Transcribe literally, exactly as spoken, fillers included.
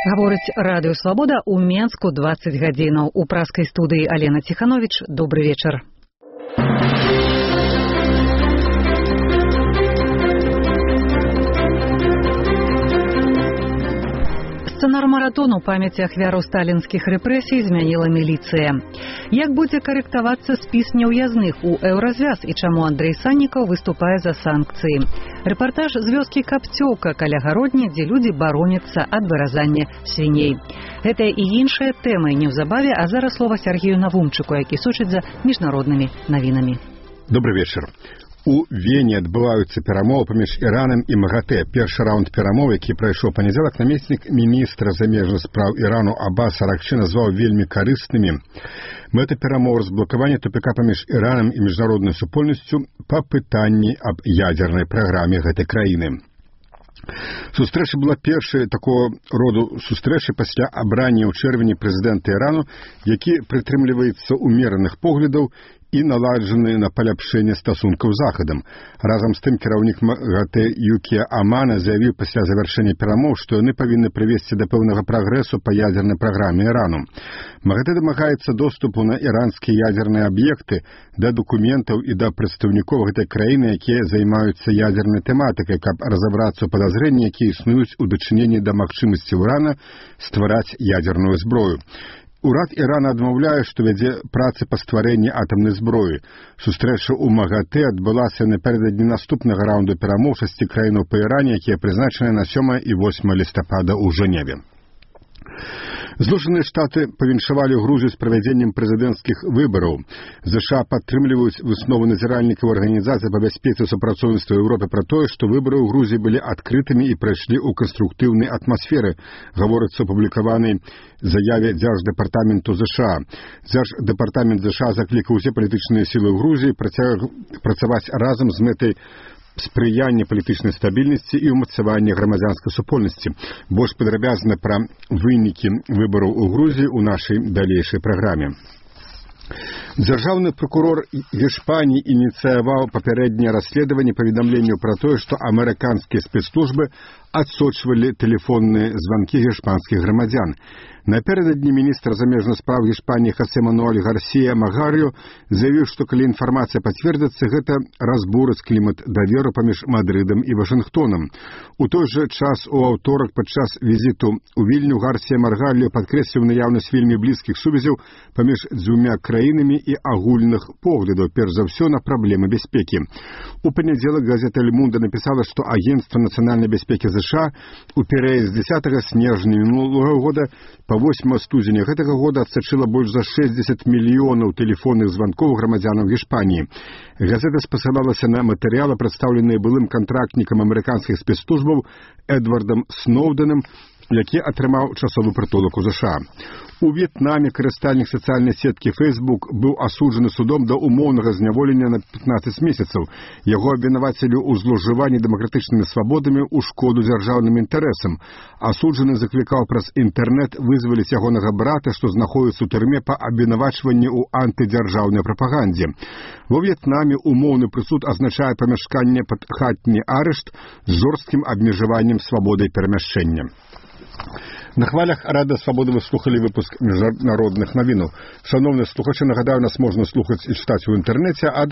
Гаворыць радыё Свабода ў Менску дваццаць гадзінаў. У праскай студыі Алена Ціхановіч. Добры вечар. Сцэнар маратону памяці ахвяраў сталінскіх рэпрэсій змяніла міліцыя. Як будзе карэктавацца спіс няўязных у еўразвяз і чаму Андрэй Саннікаў выступае за санкцыі? Рэпартаж з вёскі Капцёўка каля гародні, дзе людзі бароняцца ад выразання свіней. Гэтая і іншыя тэмы неўзабаве, а зараз слова Сергею Навумчыку, які сочыць за міжнароднымі навінамі. Добрый вечар. У Вене адбываюцца перамовы паміж Іранам і МАГАТЭ. Першы раунд перамоў, які прайшоў панядзелак, намеснік міністра замежных спраў Ірану Аббас Аракчы назваў вельмі карыснымі. Мэта перамоў разблакавання тупіка паміж Іранам і міжнароднай супольнасцю па пытанні аб ядзернай праграме гэтай краіны. Сустрэча была першай такого роду сустрэчай пасля абрання ў чэрвені прэзідэнта Ірану, які прытрымліваецца умераных поглядаў і наладжаны на паляпшэнне стасункаў з Захадам. Разам з тым кіраўнік МАГАТЭ Юкія Амана заявіў пасля завяршэння перамоў, што яны павінны прывесці да пэўнага прагрэсу па ядзернай праграме Ірану. МАГАТЭ дамагаецца доступу на іранскія ядзерныя аб'екты, да дакументаў і да прадстаўнікоў гэтай краіны, якія займаюцца ядзернай тэматыкай, каб разабрацца ў падазрэнні, якія існуюць у дачыненні да магчымасці Урана ствараць ядзерную зброю. Урад Ірана адмаўляе, што вядзе працы па стварэнні атамнай зброі. Сустрэча ў МАГАТЭ адбылася напярэдадні наступнага раунду перамоў шасці краінаў па Іране, якія прызначаны на сёмае і восьмае лістапада ў Жэневе. Злучаныя Штаты павіншавалі Грузію з правядзеннем прэзідэнцкіх выбараў. ЗША падтрымліваюць высновы назіральнікаў арганізацыі па бяспецы і супрацоўніцтва Еўропы пра тое, што выбары ў Грузіі былі адкрытымі і прайшлі ў канструктыўнай атмасферы, гаворыцца ў апублікаванай заяве Дзярждэпартаменту ЗША. Дзярждэпартамент ЗША заклікаў усе палітычныя сілы ў Грузіі працаваць разам з мэтай спрыяння палітычнай стабільнасці і ўмацавання грамадзянскай супольнасці. Больш падрабязна пра вынікі выбараў у Грузіі ў нашай далейшай праграме. Дзяржаўны прокурор Іспаніі ініцыяваў папярэдняе расследаванне паведамленняў пра тое, што амерыканскія спецслужбы адсочвалі тэлефонныя званкі іспанскіх грамадзян. Напярэдадні міністр замежных спраў Іспаніі Хосе Мануэль Гарсія Магарыо заявіў, што калі інфармацыя пацвердзіцца, гэта разбурыць клімат даверу паміж Мадрыдам і Вашынгтонам. У той жа час у аўторак падчас візіту ў Вільню Гарсія Магарыо падкрэсліў наяўнасць вельмі блізкіх сувязяў паміж дзвюма краінамі і агульных поглядаў, перш за ўсё на праблемы бяспекі. У панядзелак газета «Эль Мунда» напісала, што Агентства нацыянальнай бяспекі ЗША у перыяд з дзесятага снежня мінулага года па восьмага студзеня гэтага года адсачыла больш за шэсцьдзесят мільёнаў тэлефонных званкоў грамадзянам Іспаніі. Газета спасылалася на матэрыялы, прадстаўленыя былым кантрактнікам амерыканскіх спецслужбаў Эдвардам Сноўдэнам, які атрымаў часовы прытулак у ЗША. У В'етнаме карыстальнік сацыяльнай сеткі Facebook быў асуджаны судом да умоўнага зняволення на пятнаццаць месяцаў. Яго абвінавацілі ў злоўжыванні дэмакратычнымі свабодамі ў шкоду дзяржаўным інтарэсам. Асуджаны заклікаў праз інтэрнэт вызваліць ягонага брата, што знаходіцца ў турме па абвінавачванні ў антыдзяржаўнай прапагандзе. Во В'етнаме умоўны прысуд азначае памяшканне пад хатні арышт з жорсткім абмежаваннем свабодай перамяшчэння. На хвалях Радыё Свабода вы слухали выпуск міжнародных навінаў. Шановныя слухачы, нагадаю, нас можна слухаць і чытаць у інтэрнэце, а